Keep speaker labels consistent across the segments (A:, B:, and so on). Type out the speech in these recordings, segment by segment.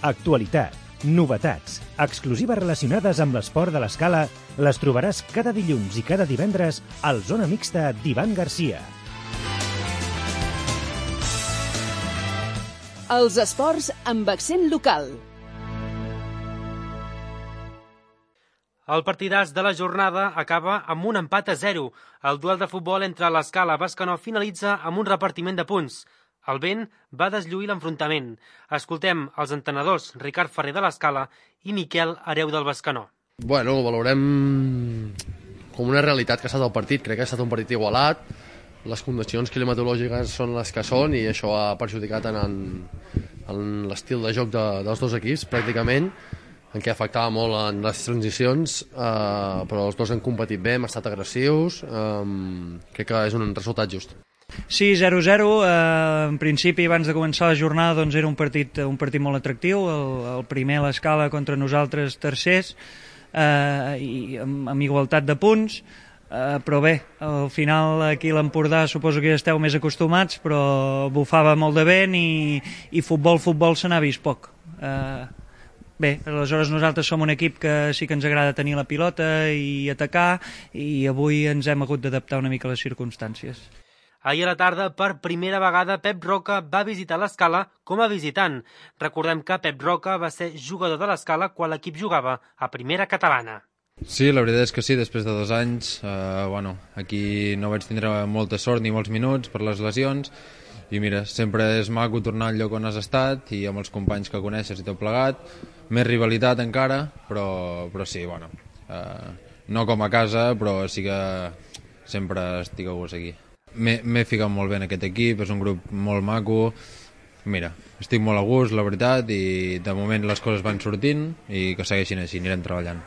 A: Actualitat, novetats, exclusives relacionades amb l'esport de l'Escala les trobaràs cada dilluns i cada divendres al Zona Mixta d'Ivan Garcia.
B: Els esports amb accent local.
C: El partidàs de la jornada acaba amb un empat a 0. El duel de futbol entre l'Escala i Bescanó finalitza amb un repartiment de punts. El vent va deslluir l'enfrontament. Escoltem els entrenadors Ricard Ferrer de l'Escala i Miquel Hereu del Bescanó.
D: Bueno, ho valorem com una realitat que ha estat el partit. Crec que ha estat un partit igualat. Les condicions climatològiques són les que són i això ha perjudicat en l'estil de joc dels dos equips, pràcticament, en què afectava molt en les transicions, però els dos han competit bé, hem estat agressius, crec que és un resultat just.
E: Sí, 0-0. En principi, abans de començar la jornada, doncs era un partit molt atractiu. El primer a l'Escala contra nosaltres tercers, i amb igualtat de punts. Però bé, al final aquí a l'Empordà suposo que ja esteu més acostumats, però bufava molt de vent i futbol se n'ha vist poc. Bé, aleshores nosaltres som un equip que sí que ens agrada tenir la pilota i atacar, i avui ens hem hagut d'adaptar una mica a les circumstàncies.
C: Ahir a la tarda, per primera vegada, Pep Roca va visitar l'Escala com a visitant. Recordem que Pep Roca va ser jugador de l'Escala quan l'equip jugava a Primera Catalana.
F: Sí, la veritat és que sí, després de 2 anys, aquí no vaig tindre molta sort ni molts minuts per les lesions, i mira, sempre és maco tornar al lloc on has estat i amb els companys que coneixes i tot plegat, més rivalitat encara, però sí, no com a casa, però sí que sempre estic a gust aquí. M'he ficat molt bé en aquest equip, és un grup molt maco, mira, estic molt a gust, la veritat, i de moment les coses van sortint i que segueixin així, anirem treballant.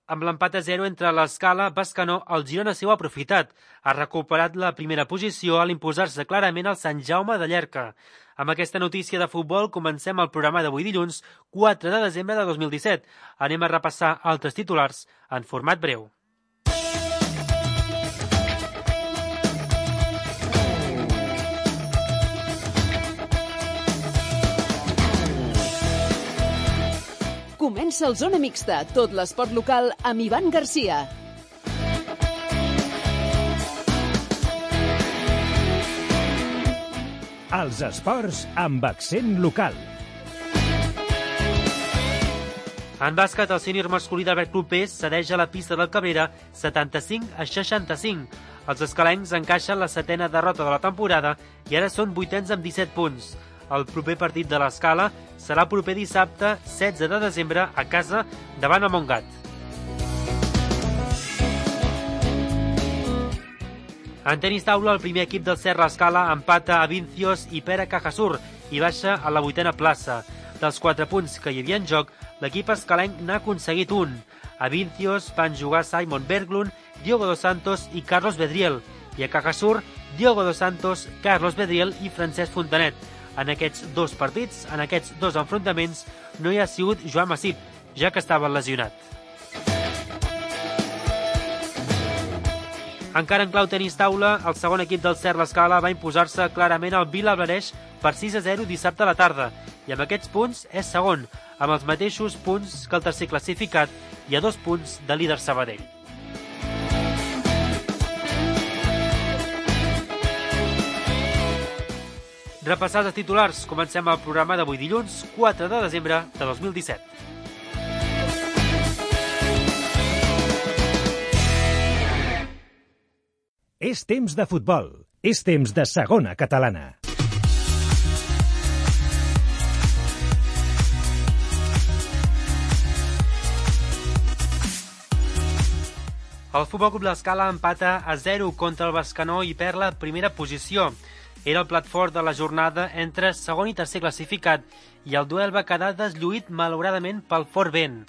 C: Amb l'empat a 0 entre l'Escala i Bescanó, el Girona s'ho ha aprofitat. Ha recuperat la primera posició a l'imposar-se clarament al Sant Jaume de Llierca. Amb aquesta notícia de futbol comencem el programa d'avui dilluns, 4 de desembre de 2017. Anem a repassar altres titulars en format breu.
B: Comença el Zona Mixta, tot l'esport local amb Ivan Garcia.
A: Els esports amb accent local.
C: En bàsquet, el sènior masculí d'Albert Clupés cedeix a la pista del Cabrera 75-65. Els escalencs encaixen la 7ª derrota de la temporada i ara són 8ens amb 17 punts. El proper partit de l'Escala serà el proper dissabte 16 de desembre a casa davant el Montgat. En tenis taula, el primer equip del Serra Escala empata a Vincios i Pere Cajasur i baixa a la 8ª plaça. Dels 4 punts que hi havia en joc, l'equip escalenc n'ha aconseguit un. A Vincios van jugar Simon Berglund, Diogo dos Santos i Carlos Bedriel, i a Cajasur, Diogo dos Santos, Carlos Bedriel i Francesc Fontanet. En aquests 2 partits, en aquests 2 enfrontaments, no hi ha sigut Joan Massip, ja que estava lesionat. Encara en clau tenis taula, el segon equip del Serra Escala va imposar-se clarament al Vilablareix per 6-0 dissabte a la tarda, i amb aquests punts és segon, amb els mateixos punts que el tercer classificat i a 2 punts de líder Sabadell. Repassats els titulars, comencem el programa d'avui dilluns, 4 de desembre de 2017.
A: És temps de futbol. És temps de segona catalana.
C: El Futbol Club l'Escala empata a 0 contra el Bescanó i perd la primera posició. Era el plat fort de la jornada entre segon i tercer classificat i el duel va quedar deslluït malauradament pel fort vent.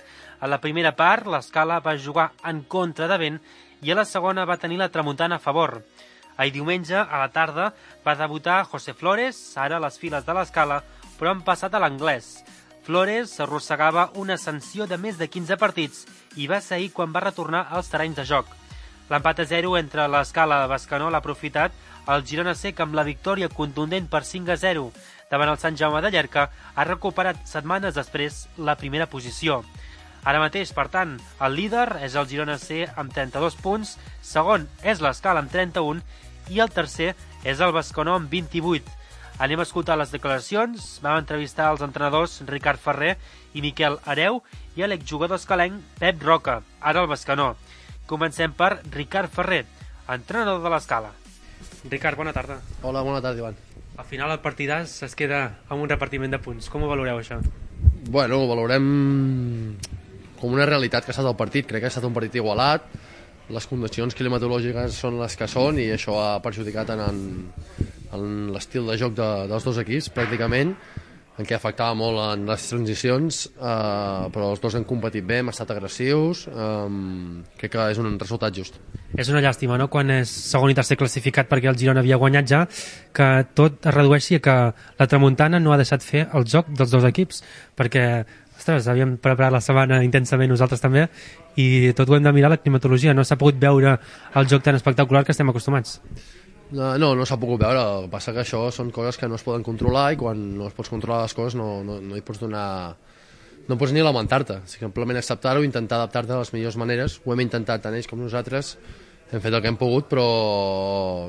C: A la primera part, l'Escala va jugar en contra de vent i a la segona va tenir la tramuntana a favor. Ahir diumenge, a la tarda, va debutar José Flores, ara a les files de l'Escala, però han passat a l'anglès. Flores s'arrossegava una sanció de més de 15 partits i va ser ahir quan va retornar als terrenys de joc. L'empat a 0 entre l'Escala i Bescanó l'ha aprofitat el Girona C, que amb la victòria contundent per 5-0 davant el Sant Jaume de Llierca, ha recuperat setmanes després la primera posició. Ara mateix, per tant, el líder és el Girona C amb 32 punts, segon és l'Escala amb 31 i el tercer és el Bescanó amb 28. Anem a escoltar les declaracions. Vam entrevistar els entrenadors Ricard Ferrer i Miquel Hereu i l'exjugador escalenc Pep Roca, ara el Bescanó. Comencem per Ricard Ferrer, entrenador de l'Escala. Ricard, bona tarda.
D: Hola, bona tarda, Ivan.
C: Al final el partidàs es queda amb un repartiment de punts. Com ho valoreu, això?
D: Bueno, ho valorem com una realitat que ha estat el partit. Crec que ha estat un partit igualat, les condicions climatològiques són les que són i això ha perjudicat en l'estil de joc dels dos equips, pràcticament, en què afectava molt en les transicions, però els dos han competit bé, hem estat agressius, crec que és un resultat just.
C: És una llàstima, no?, quan és segon i tercer classificat perquè el Girona havia guanyat ja, que tot es redueixi a que la tramuntana no ha deixat fer el joc dels dos equips, perquè, ostres, havíem preparat la setmana intensament nosaltres també, i tot ho hem de mirar la climatologia, no s'ha pogut veure el joc tan espectacular que estem acostumats.
D: No s'ha pogut veure, el que passa que això són coses que no es poden controlar i quan no es pots controlar les coses no hi pots donar... No pots ni lamentar-te, simplement acceptar-ho, intentar adaptar-te de les millors maneres. Ho hem intentat tant ells com nosaltres, hem fet el que hem pogut, però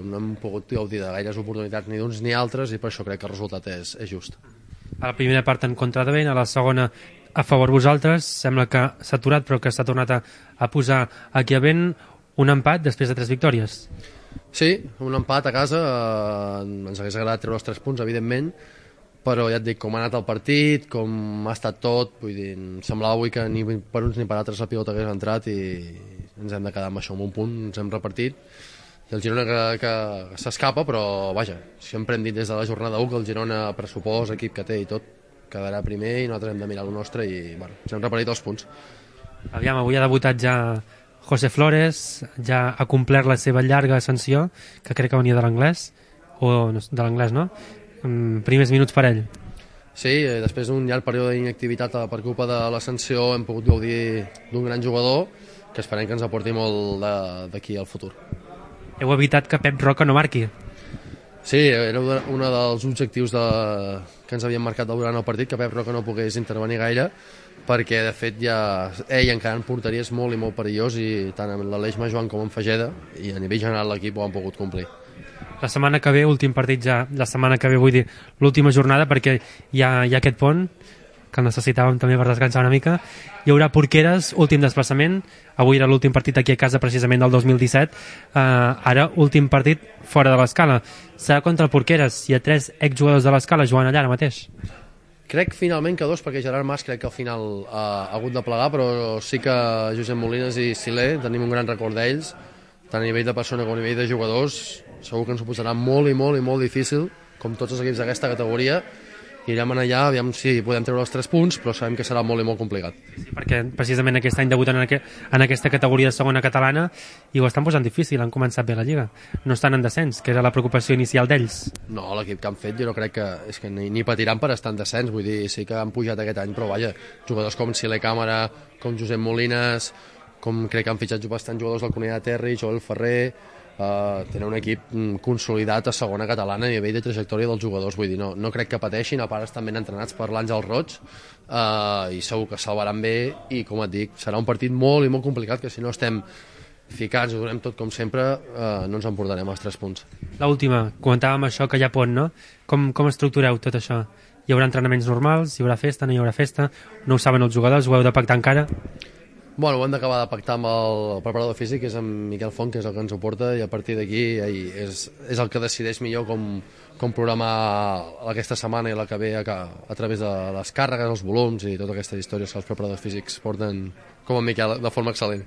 D: no hem pogut gaudir de gaires oportunitats ni d'uns ni altres i per això crec que el resultat és just.
C: A la primera part en contra de vent, a la segona a favor vosaltres, sembla que s'ha aturat però que s'ha tornat a posar aquí a vent un empat després de 3 victòries.
D: Sí, un empat a casa, ens hagués agradat treure els 3 punts, evidentment, però ja et dic, com ha anat el partit, com ha estat tot, vull dir, em semblava avui que ni per uns ni per altres la pilota hagués entrat i ens hem de quedar amb això, amb un punt, ens hem repartit, i el Girona que s'escapa, però vaja, sempre hem dit des de la jornada 1 que el Girona, pressupost, equip que té i tot, quedarà primer i nosaltres hem de mirar el nostre i bueno, ens hem repartit els punts.
C: Aviam, avui ha debutat ja José Flores, ja ha complert la seva llarga ascensió, que crec que venia de l'anglès, o de l'anglès, no? Primers minuts per ell.
D: Sí, després d'un llarg període d'inactivitat per culpa de l'ascensió hem pogut gaudir d'un gran jugador que esperem que ens aporti molt d'aquí al futur.
C: Heu evitat que Pep Roca no marqui.
D: Sí, era un dels objectius que ens havien marcat durant el partit, que Pep Roca no pogués intervenir gaire, perquè de fet ja ell encara en porteria és molt i molt perillós i tant amb l'Aleix Majoan com amb Fageda i a nivell general l'equip ho han pogut complir.
C: La setmana que ve, últim partit ja, la setmana que ve vull dir l'última jornada perquè hi ha aquest pont que el necessitàvem també per descansar una mica. Hi haurà Porqueres, últim desplaçament, avui era l'últim partit aquí a casa precisament del 2017, ara últim partit fora de l'Escala. Serà contra el Porqueres, hi ha 3 exjugadors de l'Escala jugant allà ara mateix.
D: Crec finalment que 2, perquè Gerard Mas crec que al final ha hagut de plegar, però sí que Josep Molines i Silé tenim un gran record d'ells, tant a nivell de persona com a nivell de jugadors. Segur que ens ho posarà molt i molt i molt difícil, com tots els equips d'aquesta categoria. Irem allà, aviam si podem treure els 3 punts, però sabem que serà molt i molt complicat.
C: Sí, perquè precisament aquest any debuten en aquesta categoria de segona catalana i ho estan posant difícil, han començat bé la Lliga. No estan en descens, que era la preocupació inicial d'ells.
D: No, l'equip que han fet jo no crec que, és que ni patiran per estar en descens, vull dir, sí que han pujat aquest any, però vaja, jugadors com Silé Càmera, com Josep Molines, com crec que han fitxat bastant jugadors del Cunha de Terri, Joel Ferrer, tenen un equip consolidat a segona catalana a nivell de trajectòria dels jugadors, vull dir, no crec que pateixin, a part estan ben entrenats per l'Àngel Roig i segur que salvaran bé i com et dic, serà un partit molt i molt complicat que si no estem ficats, ho donem tot com sempre, no ens emportarem els 3 punts.
C: L'última, comentàvem això que hi ha pont, no? Com estructureu tot això? Hi haurà entrenaments normals, hi haurà festa, no hi haurà festa, no ho saben els jugadors, ho heu de pactar encara?
D: Bueno, ho hem d'acabar de pactar amb el preparador físic, que és en Miquel Font, que és el que ens ho porta, i a partir d'aquí és el que decideix millor com programar aquesta setmana i la que ve a través de les càrregues, els volums i totes aquestes històries que els preparadors físics porten com en Miquel de forma excel·lent.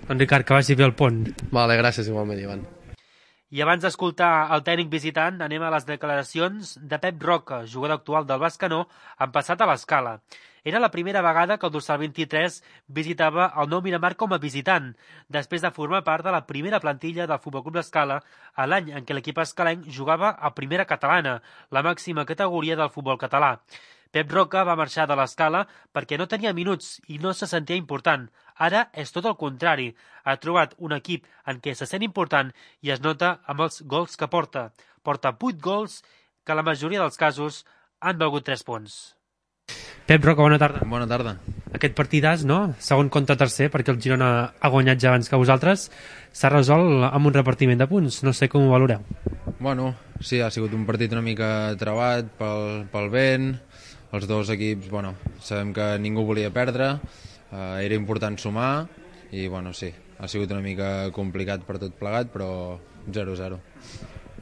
C: Doncs Ricard, que vagi bé el pont.
D: Vale, gràcies igualment, Ivan.
C: I abans d'escoltar el tècnic visitant, anem a les declaracions de Pep Roca, jugador actual del Bescanó, en passat a l'Escala. Era la primera vegada que el dorsal 23 visitava el Nou Miramar com a visitant, després de formar part de la primera plantilla del Futbol Club Escala a l'any en què l'equip escalenc jugava a primera catalana, la màxima categoria del futbol català. Pep Roca va marxar de l'Escala perquè no tenia minuts i no se sentia important. Ara és tot el contrari. Ha trobat un equip en què se sent important i es nota amb els gols que porta. Porta 8 gols que la majoria dels casos han valgut 3 punts. Pep Roca, bona tarda.
F: Bona tarda.
C: Aquest partidàs, no? Segon contra tercer, perquè el Girona ha guanyat ja abans que vosaltres, s'ha resolt amb un repartiment de punts. No sé com ho valoreu.
F: Bueno, sí, ha sigut un partit una mica trebat pel vent. Els dos equips, bueno, sabem que ningú volia perdre, era important sumar i, bueno, sí, ha sigut una mica complicat per tot plegat, però 0-0.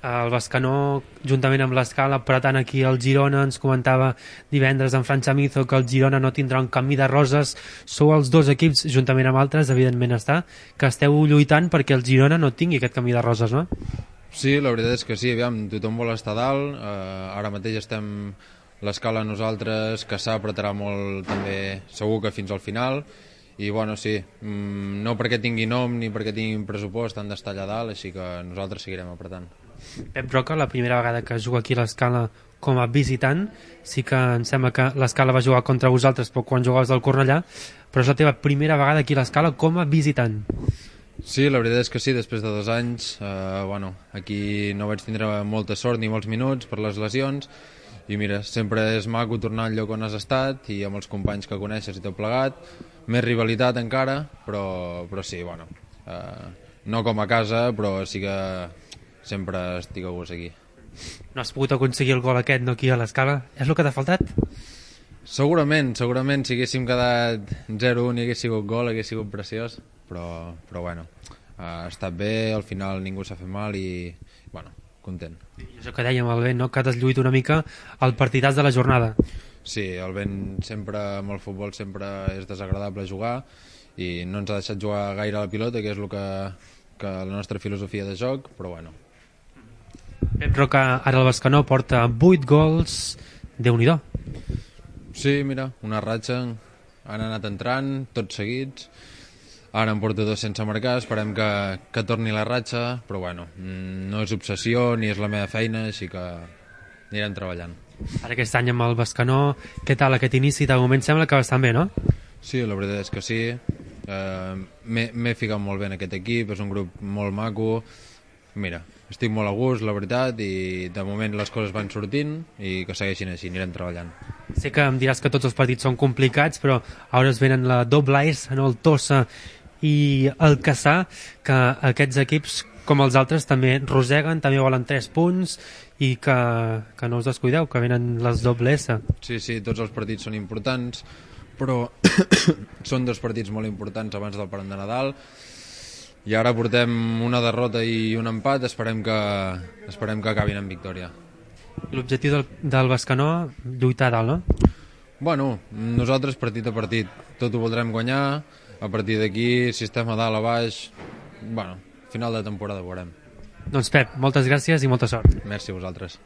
C: El Bescanó, juntament amb l'Escala, apretant aquí el Girona, ens comentava divendres en Fran Chamizo que el Girona no tindrà un camí de roses. Sou els dos equips, juntament amb altres, evidentment que esteu lluitant perquè el Girona no tingui aquest camí de roses, no?
F: Sí, la veritat és que sí, aviam, tothom vol estar dalt, ara mateix estem l'Escala nosaltres, que s'apretarà molt també, segur que fins al final, i bueno, sí, no perquè tingui nom ni perquè tinguin pressupost han d'estar allà dalt, així que nosaltres seguirem apretant.
C: Pep Roca, la primera vegada que juga aquí a l'Escala com a visitant, sí que em sembla que l'Escala va jugar contra vosaltres quan jugaves del Cornellà, però és la teva primera vegada aquí a l'Escala com a visitant.
F: Sí, la veritat és que sí, després de 2 anys, bueno, aquí no vaig tindre molta sort ni molts minuts per les lesions, i mira, sempre és maco tornar al lloc on has estat i amb els companys que coneixes i tot plegat, més rivalitat encara, però sí, bueno, no com a casa, però sí que sempre estic a gust aquí.
C: No has pogut aconseguir el gol aquest, no, aquí a l'Escala? És el que t'ha faltat?
F: Segurament, si haguéssim quedat 0-1 i hagués sigut gol, hagués sigut preciós, però bueno, ha estat bé, al final ningú s'ha fet mal i, bueno, content.
C: I això que dèiem, el vent, no? Que t'has lluit una mica el partidàs de la jornada.
F: Sí, el vent sempre, amb el futbol sempre és desagradable jugar i no ens ha deixat jugar gaire a la pilota, que és el que la nostra filosofia de joc, però bueno.
C: Pep Roca, ara el Bescanó, porta 8 gols, Déu-n'hi-do.
F: Sí, mira, una ratxa, han anat entrant, tots seguits, ara en porto 2 sense marcar, esperem que torni la ratxa, però bueno, no és obsessió ni és la meva feina, així que anirem treballant.
C: Ara aquest any amb el Bescanó, què tal aquest inici? De moment sembla que bastant bé, no?
F: Sí, la veritat és que sí, m'he ficat molt bé en aquest equip, és un grup molt maco, mira, estic molt a gust, la veritat, i de moment les coses van sortint i que segueixin així, anirem treballant.
C: Sé que em diràs que tots els partits són complicats, però ara es venen la doble S, no? El Tossa i el Cassà, que aquests equips, com els altres, també roseguen, també volen 3 punts i que no us descuideu, que venen les doble S.
F: Sí, tots els partits són importants, però són 2 partits molt importants abans del parany de Nadal, i ara portem una derrota i un empat, esperem que acabin en victòria.
C: L'objectiu del Bescanó, lluitar a dalt, no?
F: Bueno, nosaltres partit a partit, tot ho voldrem guanyar, a partir d'aquí, si estem a dalt, a baix, bueno, final de temporada ho veurem.
C: Doncs Pep, moltes gràcies i molta sort.
F: Merci a vosaltres.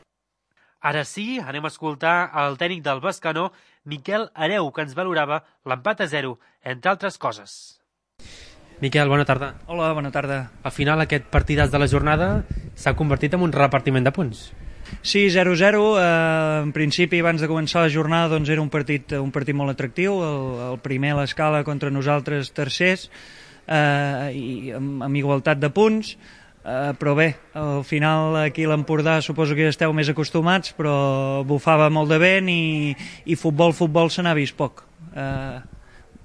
C: Ara sí, anem a escoltar el tècnic del Bescanó, Miquel Hereu, que ens valorava l'empat a 0, entre altres coses. Miquel, bona tarda.
E: Hola, bona tarda.
C: Al final aquest partidàs de la jornada s'ha convertit en un repartiment de punts.
E: Sí, 0-0. En principi, abans de començar la jornada, doncs era un partit molt atractiu. El primer a l'Escala contra nosaltres tercers, i amb igualtat de punts. Però bé, al final aquí a l'Empordà suposo que ja esteu més acostumats, però bufava molt de vent i futbol se n'ha vist poc.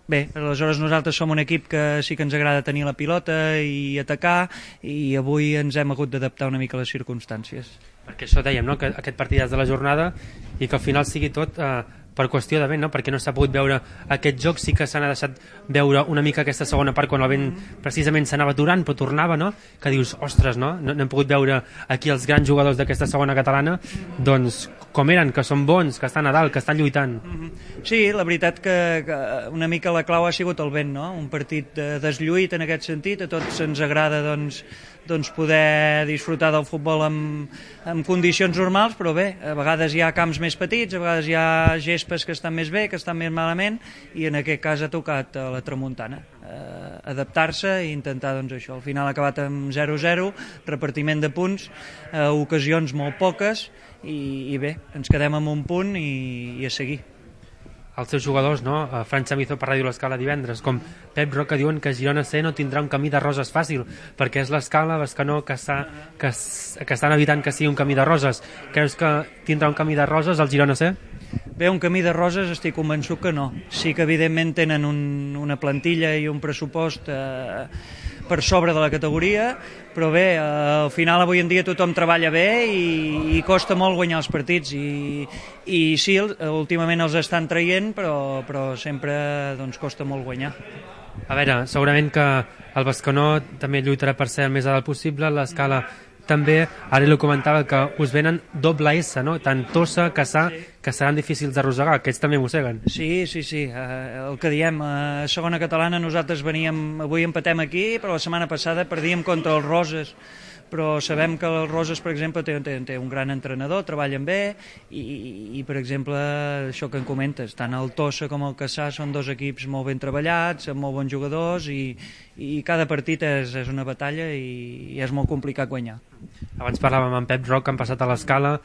E: Bé, aleshores nosaltres som un equip que sí que ens agrada tenir la pilota i atacar, i avui ens hem hagut d'adaptar una mica a les circumstàncies.
C: Perquè això dèiem, no? Que aquest partidàs de la jornada i que al final sigui tot per qüestió de vent, no? Perquè no s'ha pogut veure aquest joc, sí que s'ha deixat veure una mica aquesta segona part quan el vent precisament s'anava aturant però tornava, no? Que dius, ostres, no? No hem pogut veure aquí els grans jugadors d'aquesta segona catalana, doncs com eren, que són bons, que estan a dalt, que estan lluitant.
E: Sí, la veritat que una mica la clau ha sigut el vent, no? Un partit deslluït en aquest sentit, a tots ens agrada doncs doncs, poder disfrutar del futbol en condicions normals, però bé, a vegades hi ha camps més petits, a vegades hi ha gespes que estan més bé, que estan més malament, i en aquest cas ha tocat a la tramuntana adaptar-se i intentar, doncs, això. Al final ha acabat amb 0-0, repartiment de punts, ocasions molt poques, i bé, ens quedem amb un punt i a seguir.
C: Els seus jugadors, no? Fran Chamizo per Ràdio L'Escala divendres, com Pep Roca, diuen que Girona C no tindrà un camí de roses fàcil, perquè és l'Escala, Bescanó, que estan evitant que sigui un camí de roses. Creus que tindrà un camí de roses el Girona C?
E: Bé, un camí de roses estic convençut que no. Sí que evidentment tenen una plantilla i un pressupost per sobre de la categoria, però bé, al final avui en dia tothom treballa bé i costa molt guanyar els partits i sí, últimament els estan traient, però sempre doncs, costa molt guanyar.
C: A veure, segurament que el Bescanó també lluitarà per ser el més alt possible, l'Escala també, ara li comentava que us venen doble S, no? Tant Tossa, Cassà, que seran difícils d'arrossegar, aquests també mosseguen.
E: Sí, el que diem, a segona catalana nosaltres veníem, avui empatem aquí, però la setmana passada perdíem contra els Roses, però sabem que els Roses, per exemple, té un gran entrenador, treballen bé i per exemple, això que em comentes, tant el Tossa com el Cassà són dos equips molt ben treballats, amb molt bons jugadors i cada partit és una batalla i és molt complicat guanyar.
C: Abans parlàvem amb Pep Roc, que han passat a l'Escala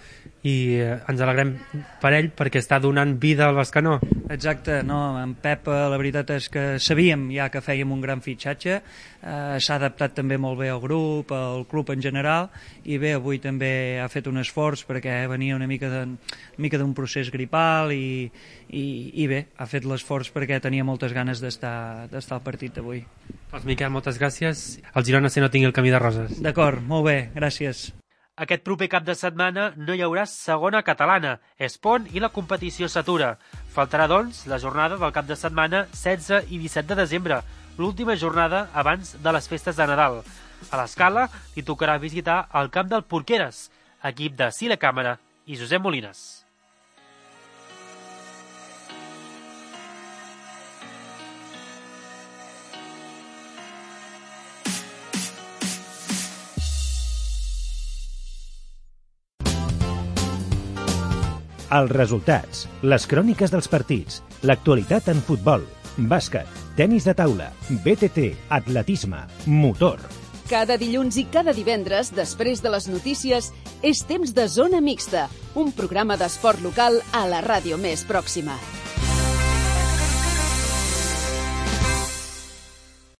C: i ens alegrem per ell perquè està donant vida al Bescanó.
E: Exacte, no, en Pep la veritat és que sabíem ja que fèiem un gran fitxatge, s'ha adaptat també molt bé al grup, al club en general, i bé, avui també ha fet un esforç perquè venia una mica d'un procés gripal i bé, ha fet l'esforç perquè tenia moltes ganes d'estar al partit d'avui.
C: Doncs Miquel, moltes gràcies. El Girona C no tingui el camí de roses.
E: D'acord, molt bé, gràcies.
C: Aquest proper cap de setmana no hi haurà segona catalana, és pont i la competició s'atura. Faltarà, doncs, la jornada del cap de setmana 16 i 17 de desembre, l'última jornada abans de les festes de Nadal. A l'Escala li tocarà visitar el camp del Porqueres, equip de Sile Càmera i Josep Molines.
A: Els resultats, les cròniques dels partits, l'actualitat en futbol, bàsquet, tenis de taula, BTT, atletisme, motor.
B: Cada dilluns i cada divendres, després de les notícies, és temps de Zona Mixta, un programa d'esport local a la ràdio més pròxima.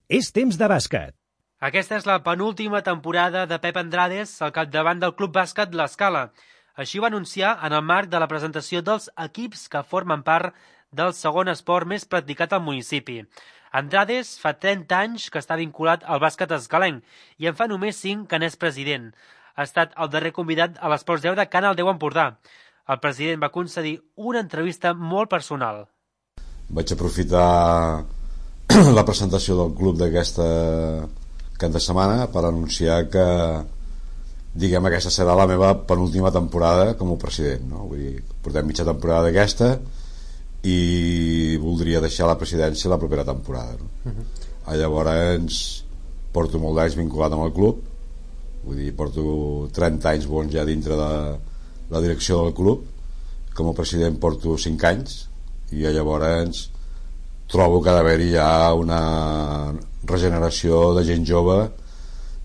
A: És temps de bàsquet.
C: Aquesta és la penúltima temporada de Pep Andrades al capdavant del Club Bàsquet L'Escala. Així ho va anunciar en el marc de la presentació dels equips que formen part del segon esport més practicat al municipi. Andrades fa 30 anys que està vinculat al bàsquet escalenc i en fa només 5 que n'és president. Ha estat el darrer convidat a l'Esports 10 de Canal 10 Empordà. El president va concedir una entrevista molt personal.
G: Vaig aprofitar la presentació del club d'aquesta cap de setmana per anunciar que aquesta serà la meva penúltima temporada com a president, no? Vull dir, portem mitja temporada d'aquesta i voldria deixar la presidència la propera temporada, no? Llavors porto molt d'anys vinculat amb el club, vull dir, porto 30 anys bons ja dintre de la direcció del club. Com a president porto 5 anys i llavors trobo que ha d'haver-hi ja una regeneració de gent jove,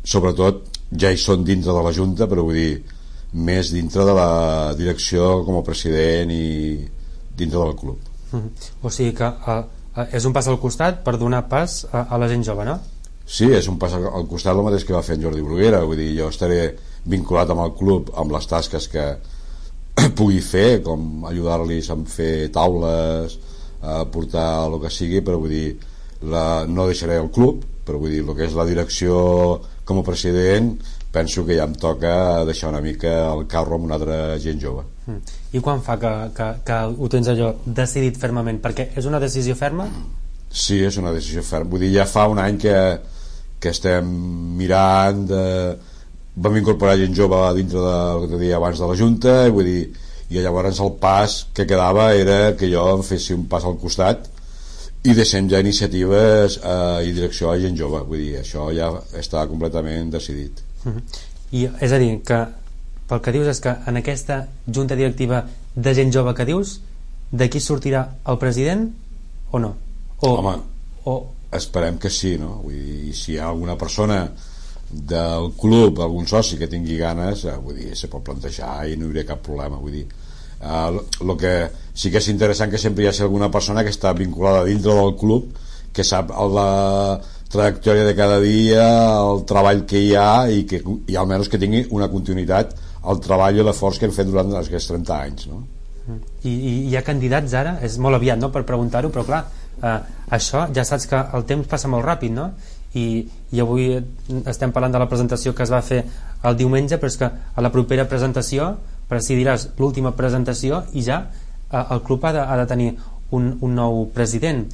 G: sobretot ja hi són dintre de la Junta, però vull dir, més dintre de la direcció com a president i dintre del club.
C: O sigui que és un pas al costat per donar pas a la gent jove, no?
G: Sí, és un pas al costat, el mateix que va fer en Jordi Bruguera. Vull dir, jo estaré vinculat amb el club amb les tasques que pugui fer, com ajudar-los a fer taules, a portar el que sigui, però vull dir, no deixaré el club, però vull dir, el que és la direcció com a president, penso que ja em toca deixar una mica el carro amb una altra gent jove.
C: I quan fa que ho tens allò decidit fermament? Perquè és una decisió ferma?
G: Sí, és una decisió ferma. Vull dir, ja fa un any que estem mirant vam incorporar gent jove dintre del que deia abans de la Junta, i vull dir, i llavors el pas que quedava era que jo em fessi un pas al costat i deixem ja iniciatives i direcció a gent jove. Vull dir, això ja està completament decidit.
H: I és a dir, que pel que dius és que en aquesta junta directiva de gent jove que dius, d'aquí sortirà el president o no?
G: Home, esperem que sí, no? Vull dir, si hi ha alguna persona del club, algun soci que tingui ganes, vull dir, se pot plantejar i no hi hauria cap problema. Vull dir, el que sí que és interessant que sempre hi hagi alguna persona que està vinculada dintre del club, que sap la trajectòria de cada dia, el treball que hi ha i almenys que tingui una continuïtat al treball i l'esforç que hem fet durant aquests 30 anys, no?
H: I hi ha candidats ara? És molt aviat, no?, per preguntar-ho, però clar, això ja saps que el temps passa molt ràpid, no? I avui estem parlant de la presentació que es va fer el diumenge, però és que a la propera presentació presidiràs l'última presentació i ja el club ha de tenir un nou president.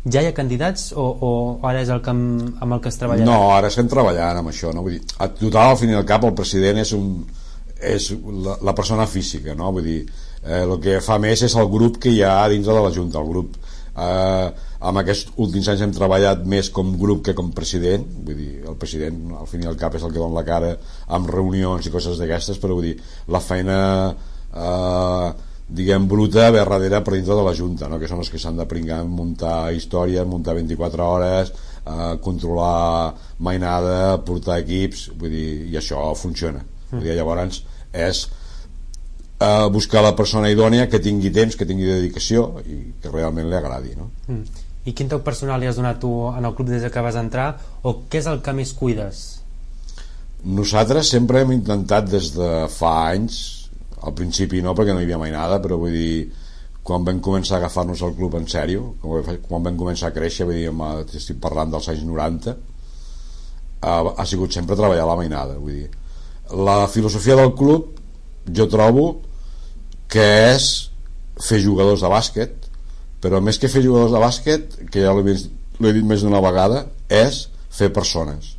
H: Ja hi ha candidats o ara és el que amb el que es treballarà?
G: No, ara estem treballant amb això, no? Vull dir, a total, al fin i al cap, el president és la persona física, no? Vull dir, el que fa més és el grup que hi ha dintre de la Junta. El grup, amb aquests últims anys hem treballat més com grup que com president. Vull dir, el president, al fin i al cap, és el que dona la cara amb reunions i coses d'aquestes, però vull dir, la feina diguem bruta ve darrere per dintre de la Junta, no? Que són els que s'han de pringar en muntar història, muntar 24 hores, controlar mainada, portar equips, vull dir, i això funciona. Vull dir, llavors és buscar la persona idònia que tingui temps, que tingui dedicació i que realment li agradi, no?
H: I quin toc personal li has donat tu en el club des que vas entrar, o què és el que més cuides?
G: Nosaltres sempre hem intentat des de fa anys, al principi no, perquè no hi havia mai nada, però vull dir, quan vam començar a agafar-nos el club en sèrio, quan vam començar a créixer, vull dir, estic parlant dels anys 90, ha sigut sempre treballar la mainada. Vull dir, la filosofia del club jo trobo que és fer jugadors de bàsquet, però més que fer jugadors de bàsquet, que ja l'he dit més d'una vegada, és fer persones.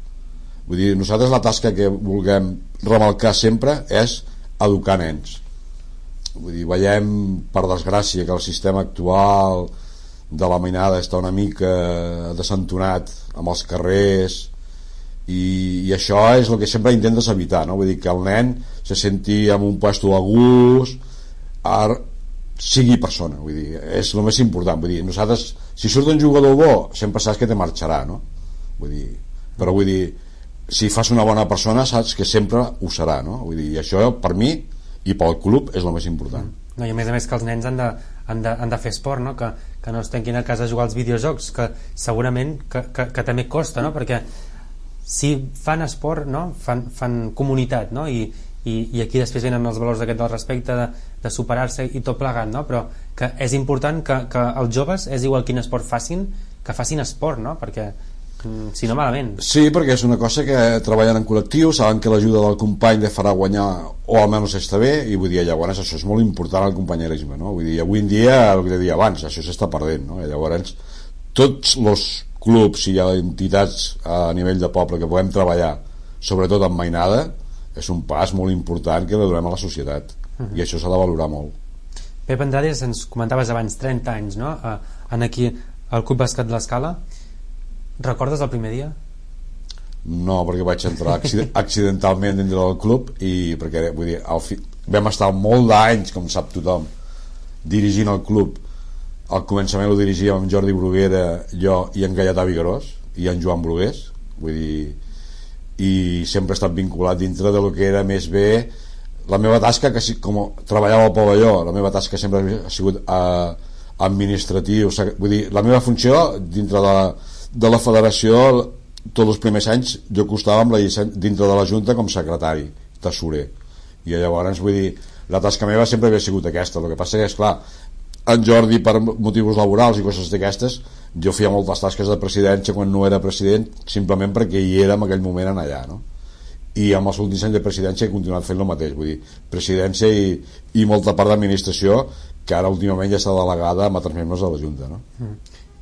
G: Vull dir, nosaltres la tasca que vulguem remarcar sempre és educar nens. Vull dir, veiem per desgràcia que el sistema actual de la mainada està una mica desentonat amb els carrers i això és el que sempre intentes evitar, no? Vull dir, que el nen se senti en un puesto de gust, sigui persona, vull dir, és el més important. Vull dir, nosaltres, si surt un jugador bo, sempre saps que te marxarà, no? Vull dir, però vull dir, si fas una bona persona saps que sempre ho serà, no? Vull dir, i això per mi i pel club és el més important.
H: No, i a més que els nens han de fer esport, no? Que no es tanquin a casa a jugar als videojocs, que segurament que també costa, no? Perquè si fan esport, no? fan comunitat, no? I aquí després venen els valors d'aquest del respecte, de superar-se i tot plegat, no? Però que és important que els joves, és igual quin esport facin, que facin esport, no? Perquè si no, malament.
G: Sí, perquè és una cosa que treballen en col·lectiu, saben que l'ajuda del company li farà guanyar o almenys està bé, i vull dir, llavors això és molt important, el companyerisme, no? Vull dir, avui en dia, el que deia abans, això s'està perdent, no? I llavors tots els clubs i entitats a nivell de poble que podem treballar, sobretot amb mainada, és un pas molt important que li donem a la societat, i això s'ha de valorar molt.
H: Pep Andrades, ens comentaves abans 30 anys, no? En aquí al Club Bàsquet l'Escala. Recordes el primer dia?
G: No, perquè vaig entrar accidentalment dintre del club i perquè, vull dir, vam estar molt d'anys, com sap tothom, dirigint el club. Al començament ho dirigíem amb Jordi Bruguera, jo i en Gaietà Vigarós i en Joan Brugués, vull dir, i sempre he estat vinculat dintre de lo que era més bé la meva tasca, que com treballava al pavelló, la meva tasca sempre ha sigut administratiu, vull dir, la meva funció dintre de la federació, tots els primers anys jo costava amb la llicència dintre de la Junta com secretari, tesorer, i llavors, vull dir, la tasca meva sempre havia sigut aquesta. El que passa és, clar, en Jordi per motius laborals i coses d'aquestes, jo feia moltes tasques de presidència quan no era president, simplement perquè hi era en aquell moment en allà, no? I amb els últims anys de presidència he continuat fent el mateix, vull dir, presidència i molta part d'administració que ara últimament ja està delegada amb altres membres de la Junta, no?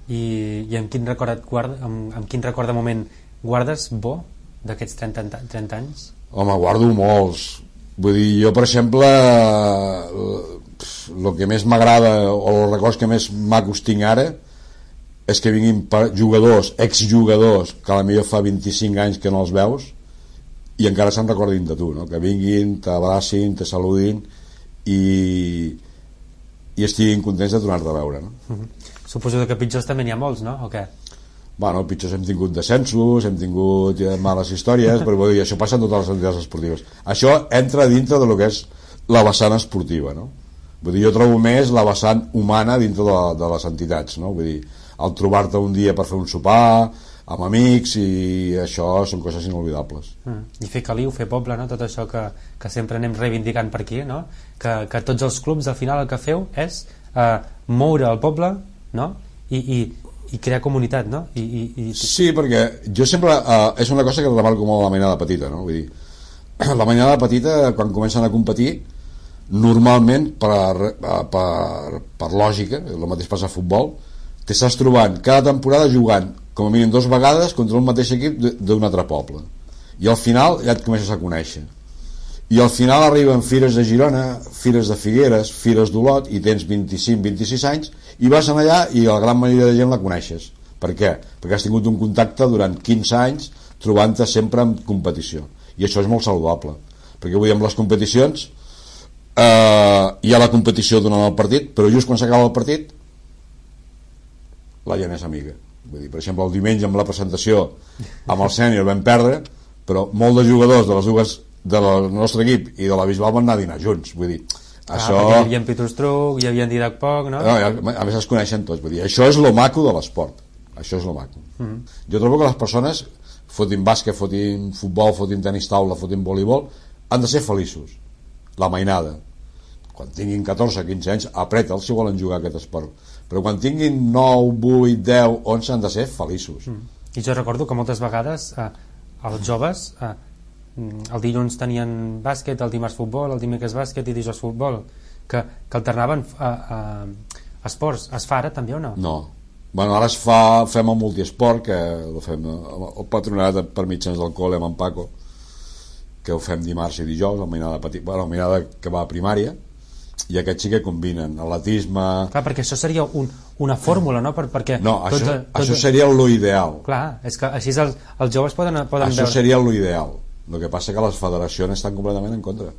H: I amb quin record de moment guardes bo d'aquests 30 anys?
G: Home, guardo molts. Vull dir, jo per exemple el que més m'agrada o els records que més macos tinc ara és que vinguin jugadors, exjugadors que a la millor fa 25 anys que no els veus i encara se'n recordin de tu, no? Que vinguin, t'abracin, te saludin i estiguin contents de tornar-te a veure, no?
H: Suposo que pitjors també n'hi ha molts, no? O què?
G: Bueno, pitjors hem tingut descensos, hem tingut males històries, però vull dir, això passa en totes les entitats esportives. Això entra dintre de lo que és la vessant esportiva, no? Vull dir, jo trobo més la vessant humana dintre de les entitats, no? Vull dir, el trobar-te un dia per fer un sopar amb amics, i això són coses inolvidables.
H: I fer caliu, fer poble, no? Tot això que sempre anem reivindicant per aquí, no? Que tots els clubs al final el que feu és moure el poble, no? I crear comunitat, no?
G: Sí, perquè jo sempre és una cosa que remarco molt a la mainada petita, no? Vull dir, la mainada petita, quan comencen a competir, normalment per lògica, el mateix passa a futbol, t'estàs trobant cada temporada jugant com a mínim 2 vegades contra un mateix equip d'un altre poble, i al final ja et comences a conèixer, i al final arriben fires de Girona, fires de Figueres, fires d'Olot, i tens 25-26 anys i vas allà i la gran majoria de gent la coneixes. Per què? Perquè has tingut un contacte durant 15 anys trobant-te sempre en competició, i això és molt saludable, perquè vull dir, amb les competicions hi ha la competició durant el partit, però just quan s'acaba el partit la gent és amiga. Vull dir, per exemple, el diumenge amb la presentació amb el sènior vam perdre, però molts de jugadors de les dues del nostre equip i de la Bisbal van anar a dinar junts. Vull dir, això...
H: Hi havia en Pitustruc, hi havia en Didac Poc, no?
G: A més es coneixen tots. Vull dir, això és lo maco de l'esport. Això és lo maco. Jo trobo que les persones, fotin bàsquet, fotin futbol, fotin tenis taula, fotin voleibol, han de ser feliços. La mainada. Quan tinguin 14-15 anys, apreta'ls si volen jugar aquest esport. Però quan tinguin 9, 8, 10, 11 han de ser feliços.
H: I jo recordo que moltes vegades els joves el dilluns tenien bàsquet, el dimarts futbol, el dimecres bàsquet i dijous futbol, que alternaven esports. Es fa ara també o no?
G: No. Bueno, ara fem el multiesport, que ho fem el patronat per mitjans del col·le amb en Paco, que ho fem dimarts i dijous, el mainada que va a primària, i aquests sí que combinen atletisme...
H: Clar, perquè això seria una fórmula, no? Perquè
G: no, això seria lo ideal.
H: Clar, és que així els joves poden
G: això
H: veure...
G: seria lo ideal. El que passa que les federacions estan completament en contra.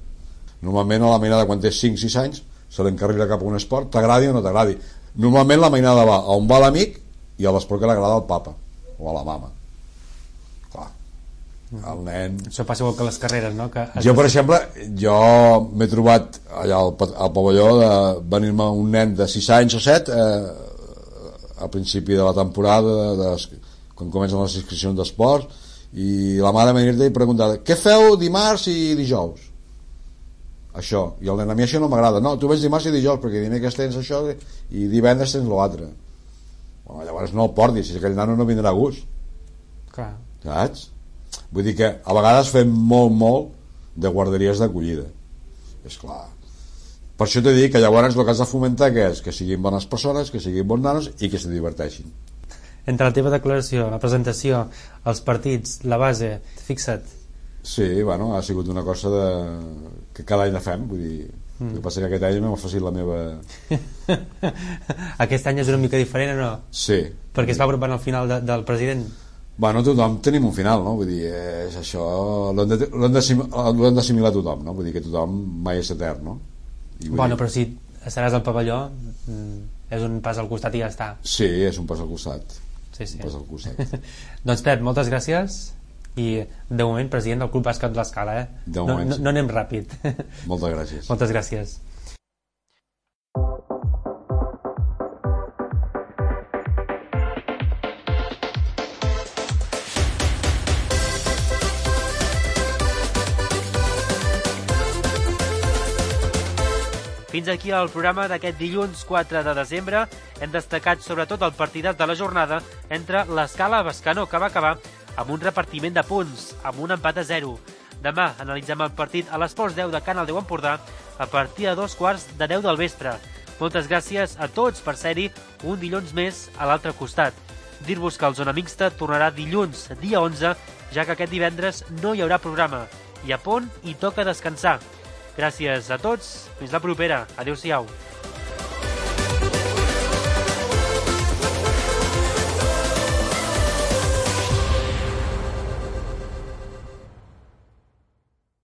G: Normalment a la mainada, quan té 5-6 anys, se l'encarrila cap a un esport, t'agradi o no t'agradi. Normalment la mainada va on va l'amic i a l'esport que l'agrada al papa o a la mama. Clar, el nen...
H: Això passa igual que les carreres, no?
G: Jo, per exemple, m'he trobat allà al pavelló de venir-me un nen de 6 anys o 7 al principi de la temporada, quan comencen les inscripcions d'esports, i la mare venir-te i preguntar què feu dimarts i dijous? Això. I el nen, a mi això no m'agrada. No, tu vens dimarts i dijous perquè dimecres tens això i divendres tens l'altre. Bueno, llavors no el portis, si aquell nano no vindrà a gust.
H: Clar.
G: Saps? Vull dir que a vegades fem molt de guarderies d'acollida. És clar. Per això t'he dit que llavors el que has de fomentar que és que siguin bones persones, que siguin bons nanos i que se diverteixin.
H: Entre la teva declaració, la presentació, els partits, la base, fixa't.
G: Sí, bueno, ha sigut una cosa que cada any la fem, vull dir, el que passa que aquest any m'ha facilitat la meva...
H: Aquest any és una mica diferent o no?
G: Sí.
H: Perquè es va apropant al final del president.
G: Bueno, tothom tenim un final, no? Vull dir, és això, l'hem d'assimilar tothom, no? Vull dir que tothom mai és etern, no?
H: Bueno, però si estaràs al pavelló, és un pas al costat i ja està.
G: Sí, és un pas al costat.
H: Sí.
G: Un pas al costat.
H: Doncs Pep, moltes gràcies i de moment president del Club Bàsquet de l'Escala,
G: De moment,
H: no anem ràpid.
G: Moltes gràcies.
H: Moltes gràcies.
C: Fins aquí el programa d'aquest dilluns 4 de desembre. Hem destacat sobretot el partidàs de la jornada entre l'Escala Bescanó, que va acabar amb un repartiment de punts, amb un empat a 0. Demà analitzem el partit a l'Esports 10 de Canal 10 Empordà a partir de 2:15 del vespre. Moltes gràcies a tots per ser-hi un dilluns més a l'altre costat. Dir-vos que el Zona Mixta tornarà dilluns, dia 11, ja que aquest divendres no hi haurà programa. I a punt hi toca descansar. Gràcies a tots, fins la propera. Adéu-siau.